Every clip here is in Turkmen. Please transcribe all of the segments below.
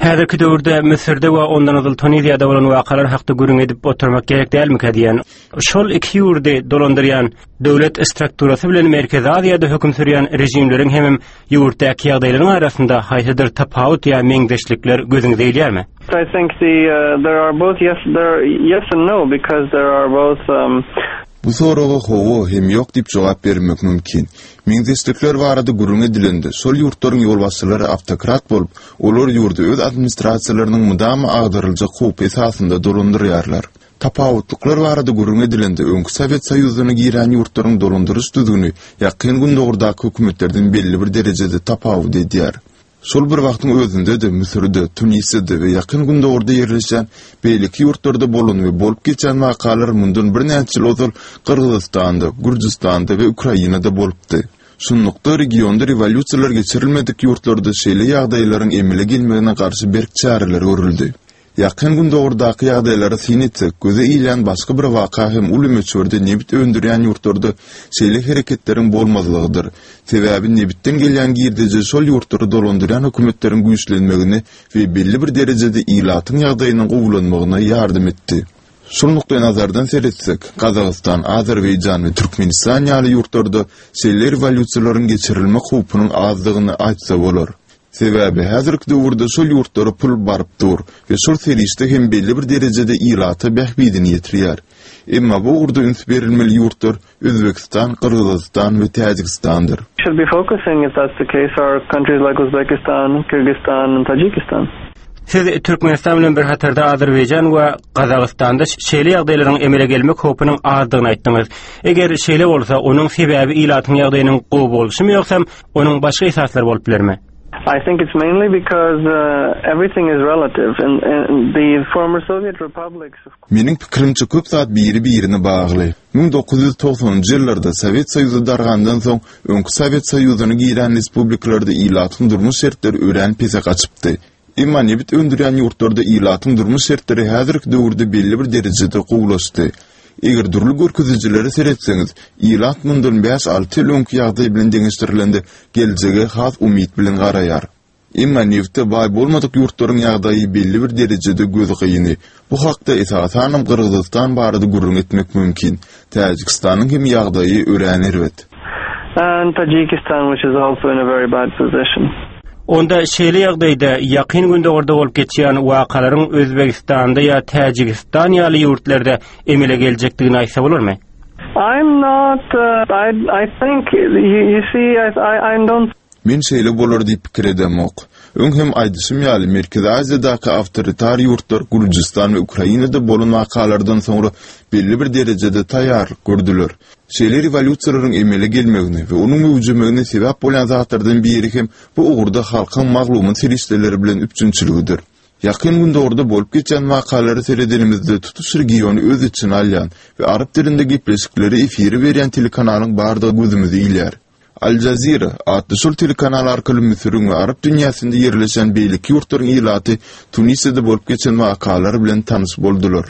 Häzirki döwürde Müsürde we ondan ozal Tuniziýada bolan wakalar hakda gürrüň edip oturmak gerek dälmikä diýen. Şol iki ýurdy dolandyrýan döwlet strukturasy bilen Merkezi Aziýada höküm sürýän režimleriň hemem ýurtdaky ýagdaýlaryň arasynda haýsydyr tapawut ýa meňzeşlikler gözüňize ilýärmi? I think the uh, there are both yes there yes and no because there are both um, Bu soraga hawa hem ýok diýip jogap bermek mümkin. Meňzeşlikler barada gürrüň edilende, şol ýurtlaryň ýolbaşçylary awtokrat bolup, olar ýurdy öz administrasiýalarynyň mydama agdaryljak howpy esasynda dolandyrýarlar. Tapawutlyklar barada gürrüň edilende, öňki Sowet Soýuzyna girän ýurtlaryň dolandyryş düzgüni Ýakyn Gündogardaky hökümetlerden belli bir derejede tapawut edýär. Şol bir wagtyň özünde-de Müsürde, Tunisde we Ýakyn Gündogarda ýerleşýän beýleki ýurtlarda bolan we bolup geçen wakalar mundan birnäçe ýyl ozal Gyrgyzystanda, Gürjüstanda we Ukrainada bolupdy. Şunlukda, regionda rewolýusiýalar geçirilmedik ýurtlarda şeýle ýagdaýlaryň emele gelmegine garşy berk çäreler görüldi. Ýakyn Gündogardaky ýagdaýlara syn etsek, göze ilýän başga bir waka hem uly möçberde nebit öndürýän ýurtlarda şeýle hereketleriň bolmazlygydyr. Sebäbi nebitden gelýän girdeji şol ýurtlary dolandyrýan hökümetleriň güýçlenmegine we belli bir derejede ilatyň ýagdaýynyň gowulanmagyna ýardam etdi. Şol nukdaýnazardan seretsek, Gazagystan, Azerbaýjan we Türkmenistan ýaly ýurtlarda şeýle rewolýusiýalaryň geçirilmek howpunyň azdygyny aýtsa bolar. Sebäbi häzirki döwürde şol ýurtlara pul baryp dur we şol serişde hem belli bir derejede ilata bähbidini ýetirýär. Emma bu ugurda üns berilmeli ýurtlar Özbegistan, Gyrgyzystan we Täjigistandyr. Should be focusing if that's the case are countries like Uzbekistan, Kyrgyzstan and Tajikistan. Siz Türkmenistan bilen bir hatarda Azerbaýjan we Gazagystanda şeýle ýagdaýlaryň emele gelmek howpunyň azdygyny aýtdyňyz. Eger şeýle bolsa, onuň sebäbi ilatyň ýagdaýynyň gowy bolşumy ýogsam Onuň başga esaslary bolup bilermi? I think it's mainly because uh, everything is relative and, and the former Soviet republics Meniň pikirimçe köp zat biri-birine bagly. 1990-njy ýyllarda Sowet Soýuzy dargandan soň öňki Sowet Soýuzyna giren respublikalarda ilatyň durmuş şertleri örän pese gaçypdy. Emma nebit öndürýän ýurtlarda ilatyň durmuş şertleri häzirki döwürde belli bir derejede gowulaşdy. Eger dürli görkezijilere seretseňiz, ilat mundan bäş-alty ýyl öňki ýagdaý bilen deňeşdirilende geljege has umyt bilen garaýar. Emma nebite baý bolmadyk ýurtlaryň ýagdaýy belli bir derejede göz gyny. Bu hakda esasanam Gyrgyzystan barada gürrüň etmek mümkin. Täjigistanyň hem ýagdaýy örän erbet. And Tajikistan which is also in a very bad position. Onda şeýle ýagdaýda Ýakyn Gündogarda bolup geçýän wakalaryň Özbegistanda ýa Täjigistan ýaly ýurtlarda emele geljekdigini aýtsa bolarmy? I'm not, I, I think, you, you see, I, I, I don't Men şeýle bolar diýip pikir edemok. Öň hem aýdyşym ýaly, Merkezi Aziýadaky awtoritar ýurtlar Gürjüstan we Ukrainada bolan wakalardan soňra belli bir derejede taýýarlyk gördüler. Şeýle rewolýusiýalaryň emele gelmegine we onuň möwjemegine sebäp bolýan zatlardan biri hem bu ugurda halkyň maglumat serişdeleri bilen üpjünçiligidir. Ýakyn Gündogarda bolup geçýän wakalara seredenimizde tutuş regiony öz içine alýan we arap dilinde gepleşikleri efire berýän telekanalyň bardygy gözümize ilýär. Al Jazeera atly şol telekanal arkaly Müsüriň we arap dünýäsinde ýerleşen beýleki ýurtlaryň ilaty Tunisde bolup geçen wakalar bilen tanyş boldular.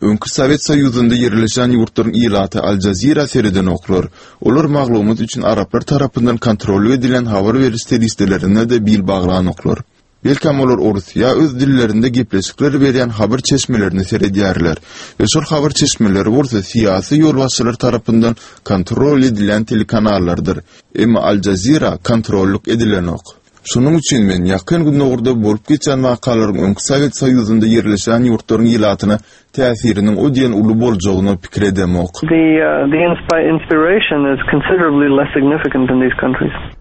Öňki Sowet Soýuzynda ýerleşen ýurtlaryň ilaty Al Jazeera seredenoklar. Olar maglumat üçin araplar tarapyndan kontrollyk edilýän habar beriş serişdelerine-de bil baglanoklar. Belkäm olar orus ýa öz dillerinde gepleşikler berýän habar çeşmelerine seredýärler we şol habar çeşmeleri bolsa syýasy ýolbaşçylar tarapyndan kontrol edilýän telekanallardyr. Emma Al Jazeera kontrollyk edilenok. Şonuň üçin men Ýakyn Gündogarda bolup geçen wakalaryň öňki Sowet Soýuzynda ýerleşen ýurtlaryň ilatyna täsiriniň o diýen uly boljagyny pikir edemok. The, uh, the inspiration is considerably less significant in these countries.